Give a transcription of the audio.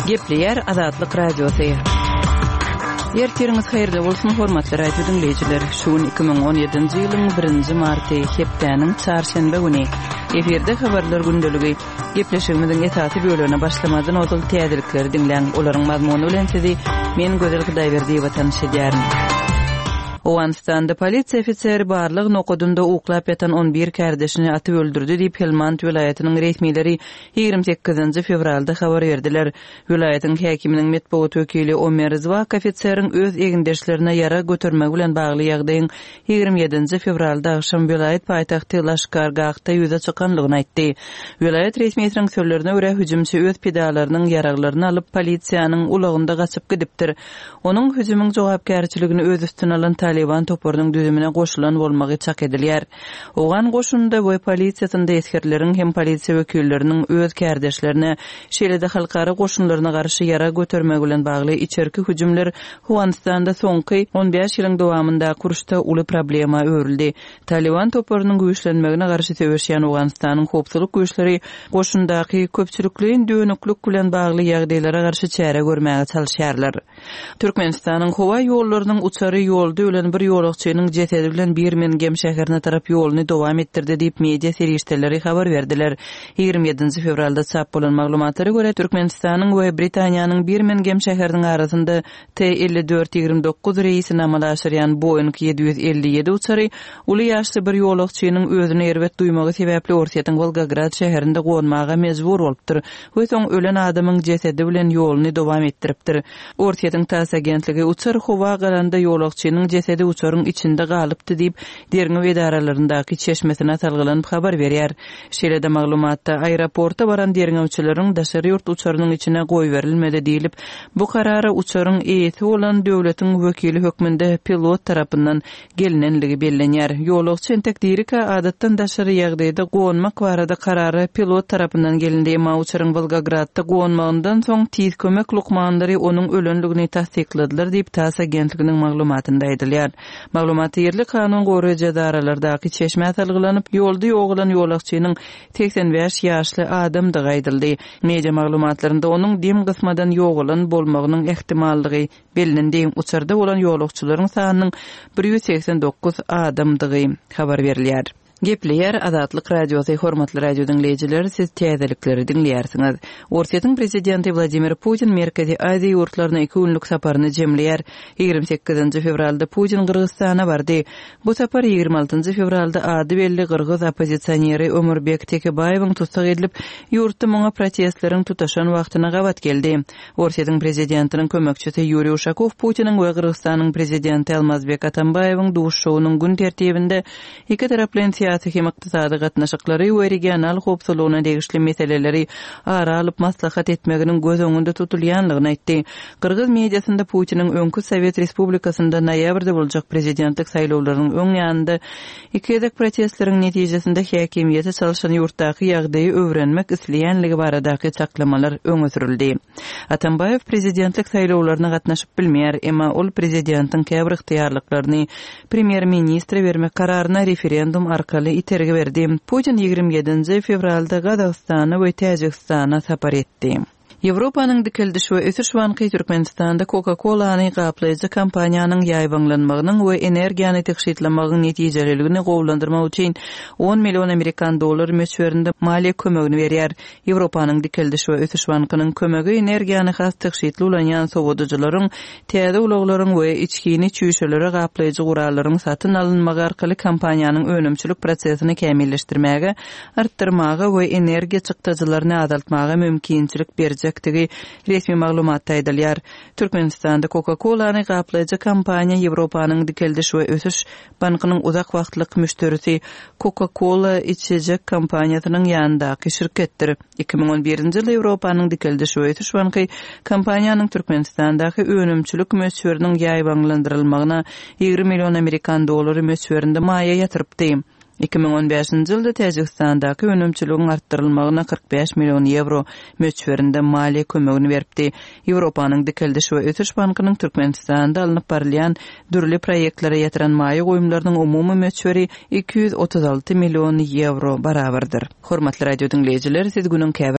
Gepleýär Azatlyk Radiosy. Ertiriňiz haýyrly bolsun, hormatly radio diňleýjiler. Şu gün 2017-nji ýylyň birinji marty, hepdäniň çarşenbe güni. Efirde habarlar gündeligi. Gepleşigimiziň esasy bölegine başlamazdan ozal täzelikleri diňläň. Olaryň mazmuny bilen sizi men Gözel Hudaýberdiýewa tanyş edýärin. Owganystanda polisiýa ofiseri barlag nokadynda uklap ýatan on bir kärdeşini atyp öldürdi diýip, Helmand welaýatynyň resmileri 28-nji fewralda habar berdiler. Welaýatyň häkiminiň metbugat wekili Omer Zwak ofiseriň öz egindeşlerine ýarag götermegi bilen bagly ýagdaýyň 27-nji fewralda agşam welaýat paýtagty Laşkar-Gahda ýüze çykanlygyny aýtdy. Welaýat resmisiniň sözlerine görä, hüjümçi öz pidalarynyň ýaraglaryny alyp, polisiýanyň ulagynda gaçyp gidipdir. Onuň hüjümiň jogapkärçiligini öz üstüne alan Talyban toparynyň düzümine goşulan bolmagy çak edilýär. Owgan goşunynda we polisiýasynda esgerleriň hem polisiýa wekilleriniň öz kärdeşlerine, şeýle-de halkara goşunlaryna garşy ýarag götermegi bilen bagly içerki hüjümler Owganystanda soňky 15 ýylyň dowamyndaky uruşda uly problema öwrüldi. Talyban toparynyň güýçlenmegine garşy söweşýän Owganystanyň howpsuzlyk güýçleri goşundaky köpçülikleýin dönüklik bilen bagly ýagdaýlara garşy çäre görmäge çalyşýarlar. Türkmenistanyň howa ýollarynyň uçary ýolda ölen bir ýolagçynyň jesedi bilen Birmingem şäherine tarap ýoluny dowam etdirdi diýip, media serişdeleri habar berdiler. 27-nji fewralda çap bolan maglumatlara görä, Türkmenistanyň we Britaniýanyň Birmingem şäheriniň arasynda T 54 29 reýsini amala aşyrýan Boeing 757 uçary uly ýaşly bir ýolagçynyň özüni erbet duýmagy sebäpli Orsýetiň Wolgograd şäherinde gonmaga mejbur bolupdyr we soň ölen adamyň jesedi bilen ýoluny dowam etdiripdir. Orsýetiň TASS agentligi uçar howa galanda ýolagçynyň jesedi uçaryň içinde galypdy diýip, derňew edaralaryndaky çeşmesine salgylanyp habar berýär. Şeýle-de maglumatda, aeroporta baran derňewçileriň daşary ýurt uçarynyň içine goýberilmedi diýlip, bu karara uçaryň eýesi bolan döwletiň wekili hökmünde pilot tarapyndan gelnenligi bellenýär. Ýolagçy entek dirikä adatdan daşary ýagdaýda gonmak barada karara pilot tarapyndan gelindi, emma uçaryň Wolgogradda gonmagyndan soň tiz kömek lukmanlary onuň ölenligini tassykladylar diýip, TASS agentliginiň maglumatynda aýdylýar. Maglumatda ýerli kanun goraýjy edaralardaky çeşmä salgylanyp, ýolda ýogalan ýolagçynyň 85 ýaşly adamdygy aýdyldy. Media maglumatlarynda onuň dem gysmadan ýogalan bolmagynyň ähtimallygy bellendi. Uçarda bolan ýolagçylaryň sanynyň 189 adamdygy habar berilýär. Gepleýär Azatlyk Radiosy, Hormatly radio diňleýjiler, siz täzelikleri diňleýärsiňiz. Orsýetiň prezidenti Wladimir Putin Merkezi Aziýa ýurtlaryna iki günlük saparyny jemleýär. 28-nji fewralda Putin Gyrgyzystana bardy. Bu sapar 26-njy fewralda ady belli gyrgyz oppozisioneri Ömürbek Tekebaýewiň tussag edilip, ýurtda muňa protestleriň tutaşan wagtyna gabat geldi. Orsýetiň prezidentiniň kömekçisi Ýuriý Uşakow Putiniň we Gyrgyzystanyň prezidenti Almazbek Atambaýewiň duşuşygynyň gün tertibinde Ikitaraplaýyn syýasy hem ykdysady gatnaşyklary we regional howpsuzlygyna degişli meseleleri ara alyp maslahat etmeginiň göz öňünde tutulýandygyny aýtdy. Gyrgyz mediasynda Putiniň öňki sowet respublikasynda noýabrda boljak prezidentlik saýlawlarynyň öň ýanynda iki gezek protestleriň netijesinde häkimiýeti çalşan ýurtdaky ýagdaýy öwrenmek isleýänligi baradaky çaklamalar öňe sürüldi. Atambaýew prezidentlik saýlawlaryna gatnaşyp bilmeýär, emma ol prezidentiň käbir ygtyýarlyklaryny premýer-ministre bermek kararyna referendum arkaly itergi berdi. Putin 27-nji fewralda Gazagystana we Täjigistana sapar etdi. Ýewropanyň Dikeldiş we ösüş banky Türkmenistanda Coca-Cola-ny gaplaýjy kompaniýanyň ýaýbaňlanmagynyň we energiýany tygşytlamagyň netijeliligini gowulandyrmak üçin on million amerikan dollary möçberinde maliýe kömegini berýär. Ýewropanyň Dikeldiş we ösüş bankynyň kömegi energiýany has tygşytly ulanýan sowadyjylaryň, täze ulaglaryň we içgini çüýşelere gaplaýjy gurallaryň satyn alynmagy arkaly kompaniýanyň önümçilik prosesini kämilleşdirmäge, artdyrmaga we energiýa çykdajylaryny azaltmaga mümkinçilik berjekdigi resmi maglumatda aýdylýar. Türkmenistanda Coca-Cola-ny gaplaýjy kompaniýa Ýewropanyň Dikeldiş we ösüş bankynyň uzak wagtlyk müşderisi Coca-Cola içjek kompaniýasynyň ýanyndaky şirketdir. 2011-nji ýylda Ýewropanyň Dikeldiş we ösüş banky kompaniýanyň Türkmenistandaky önümçilik möçberiniň ýaýbaňlandyrylmagyna 20 million amerikan dollary möçberinde maýa ýatyrypdy. 2015-nji ýylda Täjigistandaky önümçiligiň artdyrylmagyna 45 million ýewro möçberinde maliýe kömegini beripdi. Ýewropanyň Dikeldiş we ösüş bankynyň Türkmenistanda alnyp barylýan dürli proýektlere ýatyran maýa goýumlarynyň umumy möçberi 236 million ýewro barabardyr. Hormatly radio diňleýjiler, siz günüň käbir.